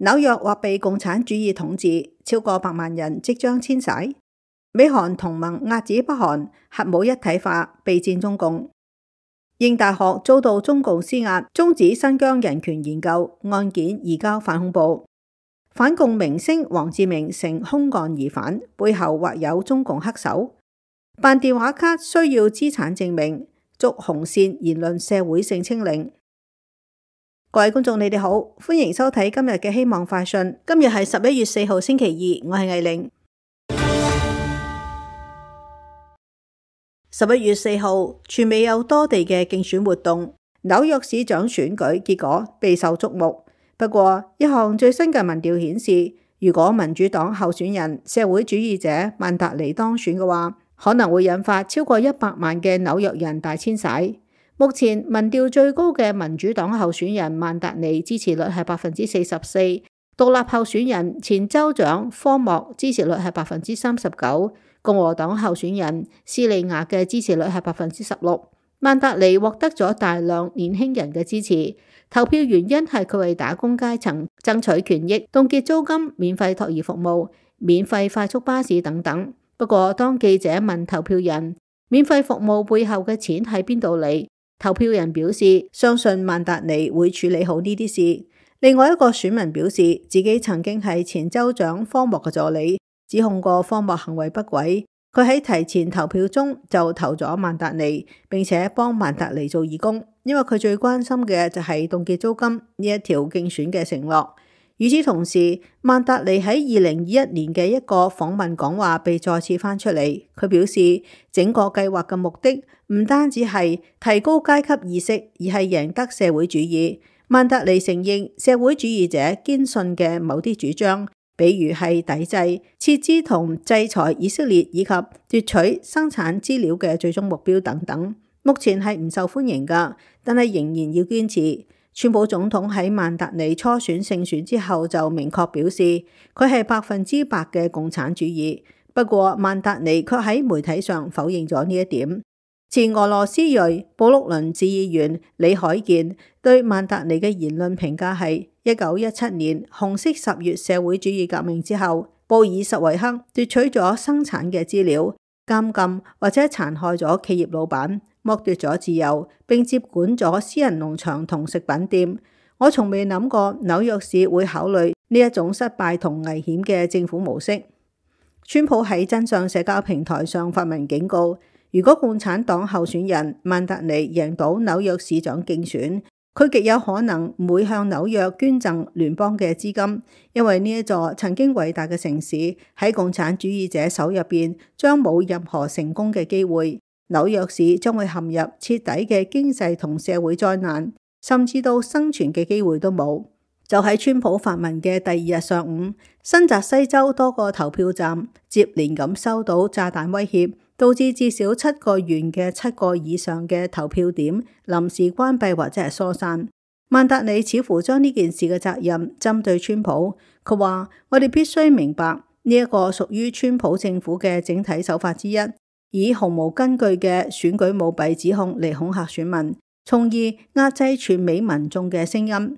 紐約或被共產主義統治，超過100萬人即將遷徙。美韓同盟遏止北韓核武一體化，備戰中共。應大學遭到中共施壓，終止新疆人權研究案件移交反恐部。反共明星王志明成凶案疑犯，背後或有中共黑手。辦電話卡需要資產證明，捉紅線言論社會性清零。各位觀眾你哋好，歡迎收睇今日嘅希望快訊。今日係11月4號星期二，我係藝玲。11月4號，全美有多地嘅競選活動，紐約市長選舉結果備受矚目。不過，一項最新嘅民調顯示，如果民主黨候選人社會主義者曼達尼當選嘅話，可能會引發超過100萬嘅紐約人大遷徙。目前民調最高嘅民主黨候選人曼達尼支持率係44%，獨立候選人前州長科莫支持率係39%，共和黨候選人斯利亞嘅支持率係16%。曼達尼獲得咗大量年輕人嘅支持，投票原因係佢為打工階層爭取權益，凍結租金、免費托兒服務、免費快速巴士等等。不過當記者問投票人免費服務背後嘅錢喺邊度嚟，投票人表示相信曼達尼會處理好呢啲事。另外一個選民表示自己曾經係前州長科莫嘅助理，指控過科莫行為不軌。佢喺提前投票中就投咗曼達尼，並且幫曼達尼做義工，因為佢最關心嘅就係凍結租金呢一條競選嘅承諾。與此同時，曼達尼喺2021年嘅一個訪問講話被再次翻出嚟，佢表示整個計劃嘅目的唔單止係提高階級意識，而係贏得社會主義。曼達尼承認社會主義者堅信嘅某啲主張，比如係抵制、撤資同制裁以色列，以及奪取生產資料嘅最終目標等等，目前係唔受歡迎㗎，但係仍然要堅持。川普總統喺曼達尼初選勝選之後就明確表示，佢係100%嘅共產主義。不過曼達尼卻喺媒體上否認咗呢一點。前俄羅斯裔布魯倫市議員李海健對曼達尼嘅言論評價係：1917年紅色10月社會主義革命之後，布爾什維克奪取咗生產嘅資料，監禁或者殘害咗企業老闆，剝奪咗自由，並接管咗私人農場同食品店。我從未諗過紐約市會考慮呢一種失敗同危險嘅政府模式。川普喺真相社交平台上發文警告，如果共產黨候選人曼達尼贏到紐約市長競選，佢極有可能唔會向紐約捐贈聯邦嘅資金，因為呢一座曾經偉大嘅城市喺共產主義者手入邊將冇任何成功嘅機會。紐約市將會陷入徹底嘅經濟同社會災難，甚至到生存嘅機會都冇。就喺川普發文嘅第2日上午，新澤西州多個投票站接連咁收到炸彈威脅，導致至少7個縣嘅7個以上嘅投票點臨時關閉或者係疏散。曼達尼似乎將呢件事嘅責任針對川普，佢話：我哋必須明白呢一個屬於川普政府嘅整體手法之一，以毫無根據嘅選舉舞弊指控嚟恐嚇選民，從而壓制全美民眾嘅聲音。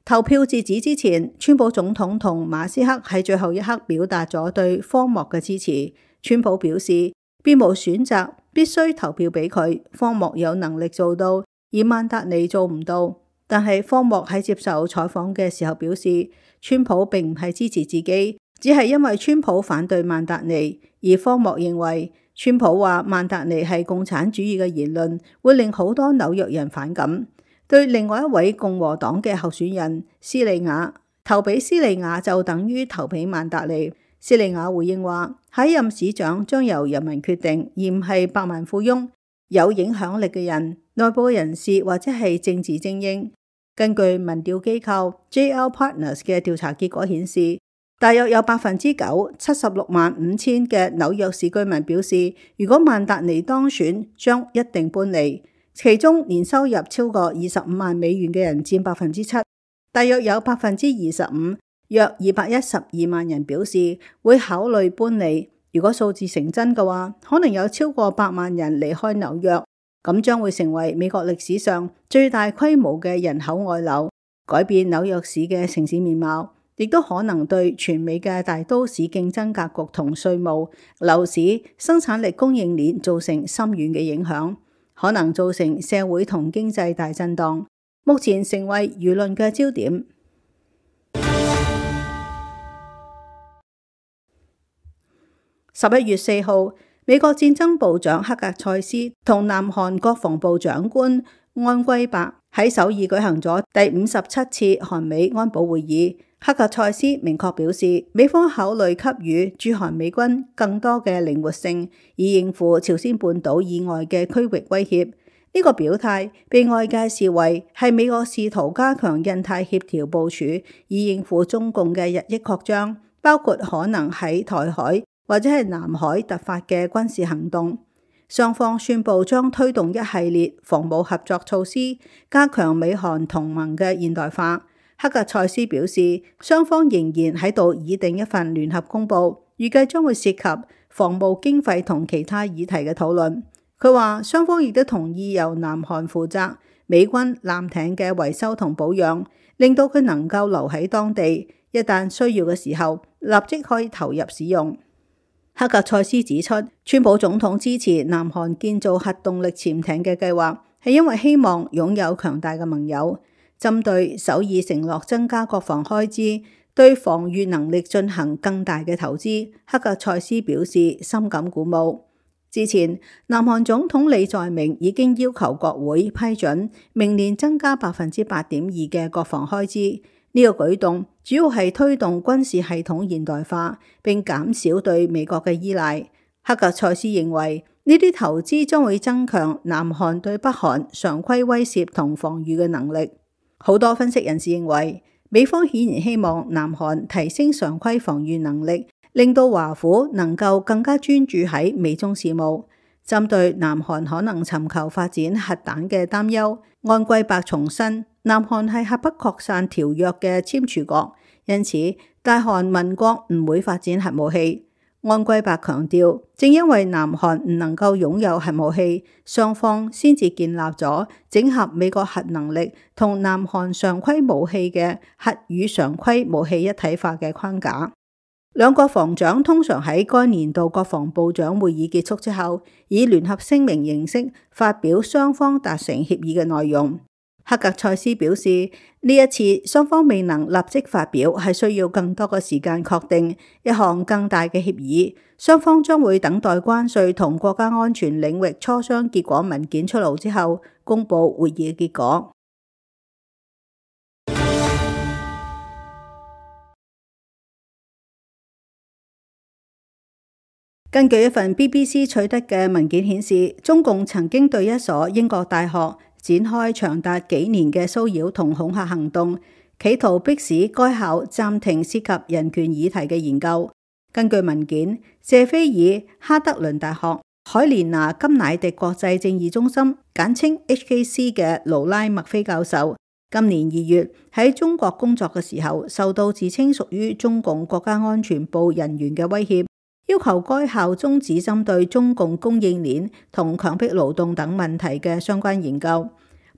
投票截止之前，川普總統同馬斯克喺最後一刻表達咗對科莫嘅支持。川普表示，別無選擇，必須投票俾佢。科莫有能力做到，而曼達尼做唔到。但係科莫喺接受採訪嘅時候表示，川普並唔係支持自己，只係因為川普反對曼達尼。而科莫認為，川普話曼達尼係共產主義嘅言論，會令好多紐約人反感。對另外一位共和黨嘅候選人斯利亞，投俾斯利亞就等於投俾曼達尼。斯利亞回應話，下一任市長將由人民決定，而唔係百萬富翁、有影響力嘅人、內部人士或者係政治精英。根據民調機構 JL Partners 嘅調查結果顯示，大約有9%765000嘅紐約市居民表示，如果曼達尼當選，將一定搬離。其中年收入超過25萬美元嘅人佔7%，大約有25%，約212萬人表示會考慮搬離。如果數字成真嘅話，可能有超過100萬人離開紐約，咁將會成為美國歷史上最大規模嘅人口外流。改變紐約市嘅城市面貌，亦都可能對全美嘅大都市競爭格局同稅務、樓市、生產力供應鏈造成深遠嘅影響，可能造成社會同經濟大震盪，目前成為輿論嘅焦點。11月4號，美國戰爭部長克格塞斯同南韓國防部長官安圭伯喺首爾舉行咗第57次韓美安保會議。克格塞斯明確表示，美方考慮給予駐韓美軍更多嘅靈活性，以應付朝鮮半島以外嘅區域威脅。呢個表態被外界視為係美國試圖加強印太協調部署，以應付中共嘅日益擴張，包括可能喺台海或者係南海突發嘅軍事行動。雙方宣布將推動一系列防務合作措施，加強美韓同盟嘅現代化。克格塞斯表示，雙方仍然喺度擬定一份聯合公報，預計將會涉及防務經費同其他議題嘅討論。佢話雙方亦都同意由南韓負責美軍艦艇嘅維修同保養，令到佢能夠留喺當地，一旦需要嘅時候立即可以投入使用。克格塞斯指出，川普總統支持南韓建造核動力潛艇嘅計劃，係因為希望擁有強大嘅盟友。針對首爾承諾增加國防開支，對防禦能力進行更大嘅投資，克格塞斯表示深感鼓舞。之前，南韓總統李在明已經要求國會批准明年增加8.2%嘅國防開支。呢個舉動主要係推動軍事系統現代化，並減少對美國嘅依賴。克格塞斯認為呢啲投資將會增強南韓對北韓常規威懾同防禦嘅能力。好多分析人士認為，美方顯然希望南韓提升常規防禦能力，令到華府能夠更加專注喺美中事務。針對南韓可能尋求發展核彈嘅擔憂，安圭伯重申，南韓係核不擴散條約嘅簽署國，因此大韓民國唔會發展核武器。安圭伯強調，正因為南韓唔能夠擁有核武器，雙方先至建立咗整合美國核能力同南韓常規武器嘅核與常規武器一體化嘅框架。兩國防長通常喺該年度國防部長會議結束之後，以聯合聲明形式發表雙方達成協議嘅內容。克格塞斯表示，呢一次雙方未能立即發表，係需要更多嘅時間確定一項更大嘅協議。雙方將會等待關稅同國家安全領域磋商結果文件出爐之後，公佈會議嘅結果。根據一份 BBC 取得嘅文件顯示，中共曾經對一所英國大學展開長達幾年嘅騷擾同恐嚇行動，企圖迫使該校暫停涉及人權議題嘅研究。根據文件，謝菲爾哈德倫大學海蓮娜甘乃迪國際正義中心簡稱 HKC 嘅勞拉麥菲教授，今年2月喺中國工作嘅時候，受到自稱屬於中共國家安全部人員嘅威脅，要求該校終止針對中共供應鏈同強迫勞動等問題嘅相關研究。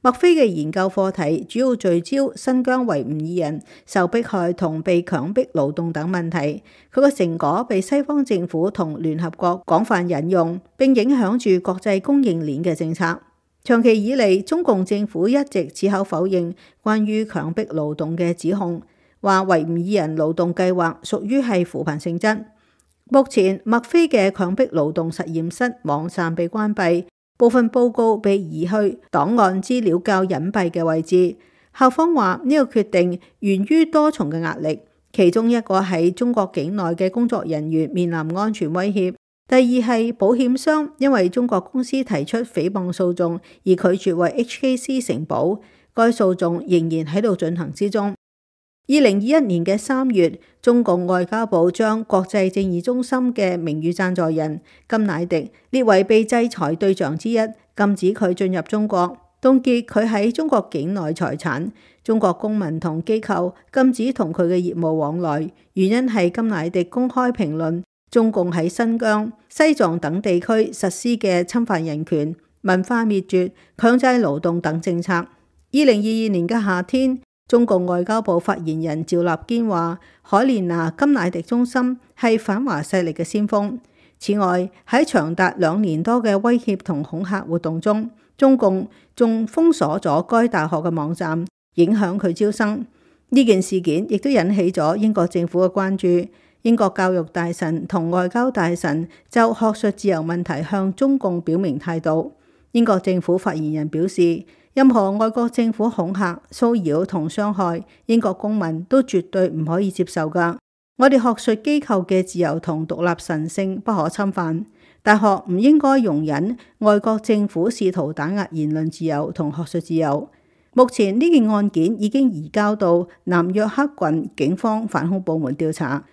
麥菲嘅研究課題主要聚焦新疆維吾爾人受迫害同被強迫勞動等問題。佢嘅成果被西方政府同聯合國廣泛引用，並影響住國際供應鏈嘅政策。長期以嚟，中共政府一直矢口否認關於強迫勞動嘅指控，話維吾爾人勞動計劃屬於係扶貧性質。目前，麥菲嘅強迫勞動實驗室網站被關閉，部分報告被移去檔案資料較隱蔽嘅位置。校方話呢個決定源於多重嘅壓力，其中一個係中國境內嘅工作人員面臨安全威脅，第二係保險商因為中國公司提出誹謗訴訟而拒絕為 HKC 承保，該訴訟仍然喺度進行之中。2021年嘅3月，中共外交部將國際正義中心嘅名譽贊助人甘乃迪列為被制裁對象之一，禁止佢進入中國，凍結佢喺中國境內財產。中國公民同機構禁止同佢嘅業務往來，原因係甘乃迪公開評論中共喺新疆、西藏等地區實施嘅侵犯人權、文化滅絕、強制勞動等政策。2022年嘅夏天，中共外交部發言人趙立堅話：海蓮娜甘迺迪中心係反華勢力嘅先鋒。此外，喺長達2年多嘅威脅同恐嚇活動中，中共仲封鎖咗該大學嘅網站，影響佢招生。呢件事件亦都引起咗英國政府嘅關注。英國教育大臣同外交大臣就學術自由問題向中共表明態度。英國政府發言人表示，任何外國政府恐嚇、騷擾同傷害英國公民都絕對唔可以接受㗎。我哋學術機構嘅自由同獨立神聖不可侵犯，大學唔應該容忍外國政府試圖打壓言論自由同學術自由。目前呢件案件已經移交到南約克郡警方反恐部門調查，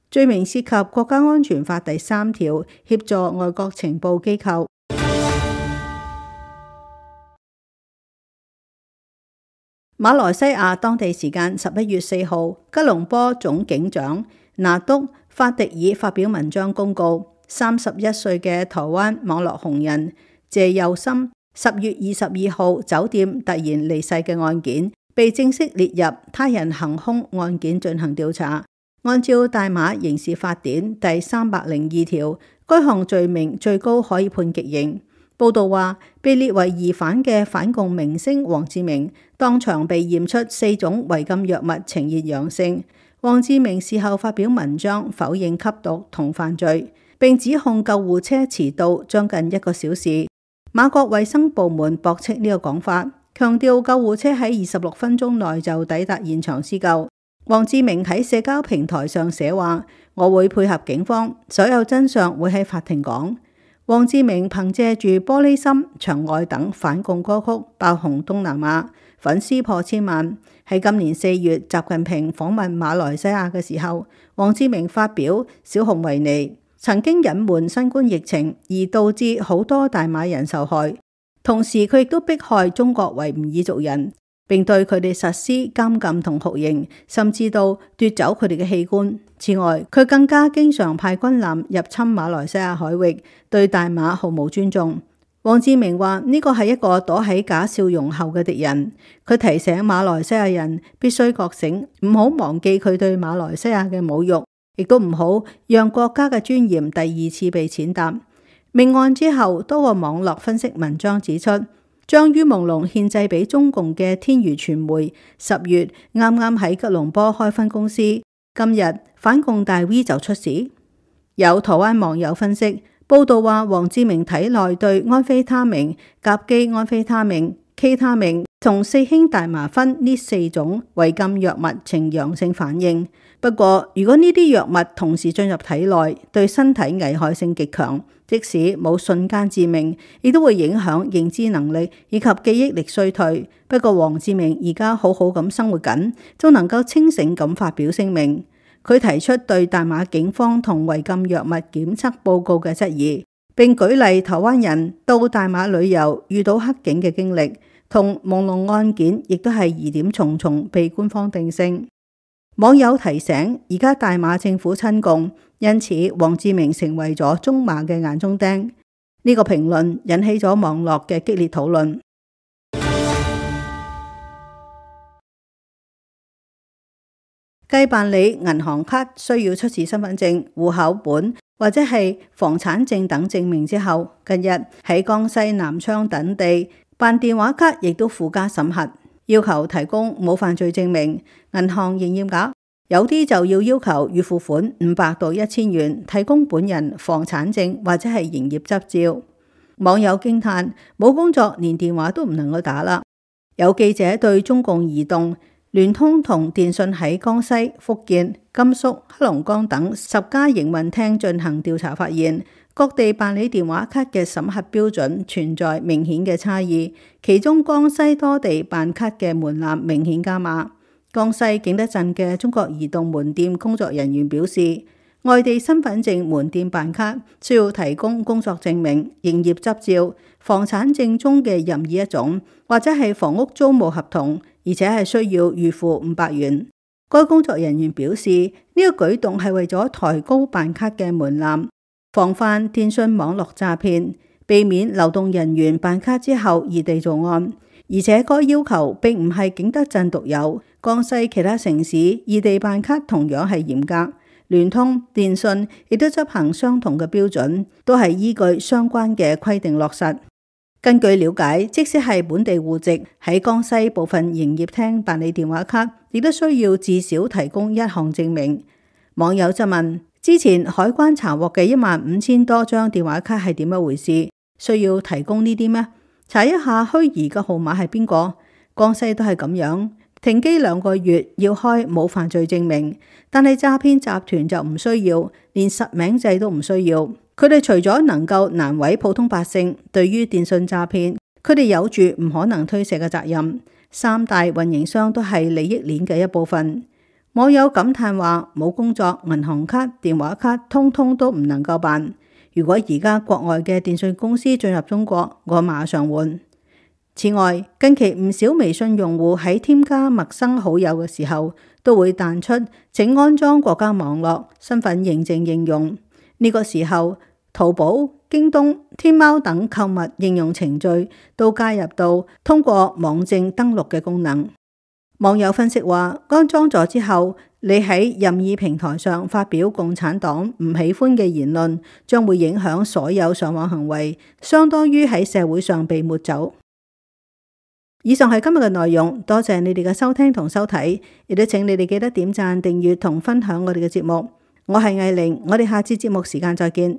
罪名涉及國家安全法第3條協助外國情報機構。馬來西亞當地時間11月4號，吉隆坡總警長拿督法迪爾發表文章公告，31歲嘅台灣網絡紅人謝佑森10月22號酒店突然離世嘅案件，被正式列入他人行兇案件進行調查。按照大馬刑事法典第302條，該項罪名最高可以判極刑。報道話，被列為疑犯嘅反共明星黃志明當場被驗出4種違禁藥物呈現陽性。黃志明事後發表文章否認吸毒同犯罪，並指控救護車遲到將近1個小時。馬國衛生部門駁斥呢個講法，強調救護車喺26分鐘內就抵達現場施救。黃志明喺社交平台上寫話：我會配合警方，所有真相會喺法庭講。黃志明憑借住玻璃心、牆外等反共歌曲爆紅東南亞，粉絲破千萬。喺今年4月，習近平訪問馬來西亞嘅時候，黃志明發表小熊維尼曾經隱瞞新冠疫情，而導致好多大馬人受害。同時，佢亦都迫害中國維吾爾族人，並對佢哋實施監禁同酷刑，甚至到奪走佢哋嘅器官。此外，佢更加經常派軍艦入侵馬來西亞海域，對大馬毫無尊重。黃志明話呢個係一個躲喺假笑容後嘅敵人。佢提醒馬來西亞人必須覺醒，唔好忘記佢對馬來西亞嘅侮辱，亦都唔好讓國家嘅尊嚴第2次被踐踏。命案之後，多個網絡分析文章指出，將于朦朧獻祭俾中共嘅天娛傳媒10月啱啱喺吉隆坡開分公司，今日反共大 V 就出事。有台灣網友分析報道話，黃志明體內對安非他命、甲基安非他命、K 他命同4氫大麻酚呢4種違禁藥物呈陽性反應。不過，如果呢啲藥物同時進入體內，對身體危害性極強，即使冇瞬間致命，亦都會影響認知能力以及記憶力衰退。不過，黃志明而家好好咁生活緊，都能夠清醒咁發表聲明。佢提出對大馬警方同違禁藥物檢測報告嘅質疑，並舉例台灣人到大馬旅遊遇到黑警嘅經歷，同朦朧案件亦都係疑點重重，被官方定性。網友提醒，而家大馬政府親共，因此黃志明成為咗中馬嘅眼中釘。呢個評論引起咗網絡嘅激烈討論。繼辦理銀行卡需要出示身份證、戶口本或者係房產證等證明之後，近日喺江西南昌等地辦電話卡亦都附加審核，要求提供冇犯罪證明。銀行營業額有啲就要求預付款500到1000元，提供本人房產證或者係營業執照。網友驚嘆，冇工作連電話都唔能夠打啦。有記者對中共移動、聯通同電信喺江西、福建、甘肅、黑龍江等10家營運廳進行調查，發現各地辦理電話卡嘅審核標準存在明顯嘅差異，其中江西多地辦卡嘅門檻明顯加碼。江西景德鎮嘅中國移動門店工作人員表示，外地身份證門店辦卡需要提供工作證明、營業執照、房產證中嘅任意一種，或者係房屋租務合同，而且係需要預付500元。該工作人員表示，呢個舉動係為咗抬高辦卡嘅門檻，防範電信網絡詐騙，避免流動人員辦卡之後異地作案。而且該要求並唔係景德鎮獨有，江西其他城市異地辦卡同樣係嚴格，聯通、電信亦都執行相同嘅標準，都係依據相關嘅規定落實。根據了解，即使係本地戶籍，喺江西部分營業廳辦理電話卡，亦都需要至少提供一項證明。網友質問：之前海關查獲嘅15000多張電話卡係點樣回事？需要提供呢啲咩？查一下虛擬嘅號碼係邊個？江西都係咁樣，停機2個月要開冇犯罪證明，但係詐騙集團就唔需要，連實名制都唔需要。佢哋除咗能夠難為普通百姓，對於電信詐騙，佢哋有住唔可能推卸嘅責任。3大運營商都係利益鏈嘅一部分。網友感嘆話：冇工作，銀行卡、電話卡通通都唔能夠辦。如果而家國外嘅電信公司進入中國，我馬上換。此外，近期唔少微信用戶喺添加陌生好友嘅時候，都會彈出請安裝國家網絡身份認證應用。呢個時候，淘寶、京東、天貓等購物應用程序都加入到通過網證登錄嘅功能。網友分析話，安裝咗之後，你喺任意平台上發表共產黨唔喜歡嘅言論，將會影響所有上網行為，相當於喺社會上被抹走。以上係今日嘅內容，多謝你哋嘅收聽同收睇，亦都請你哋記得點讚、訂閱同分享我哋嘅節目。我係藝玲，我哋下次節目時間再見。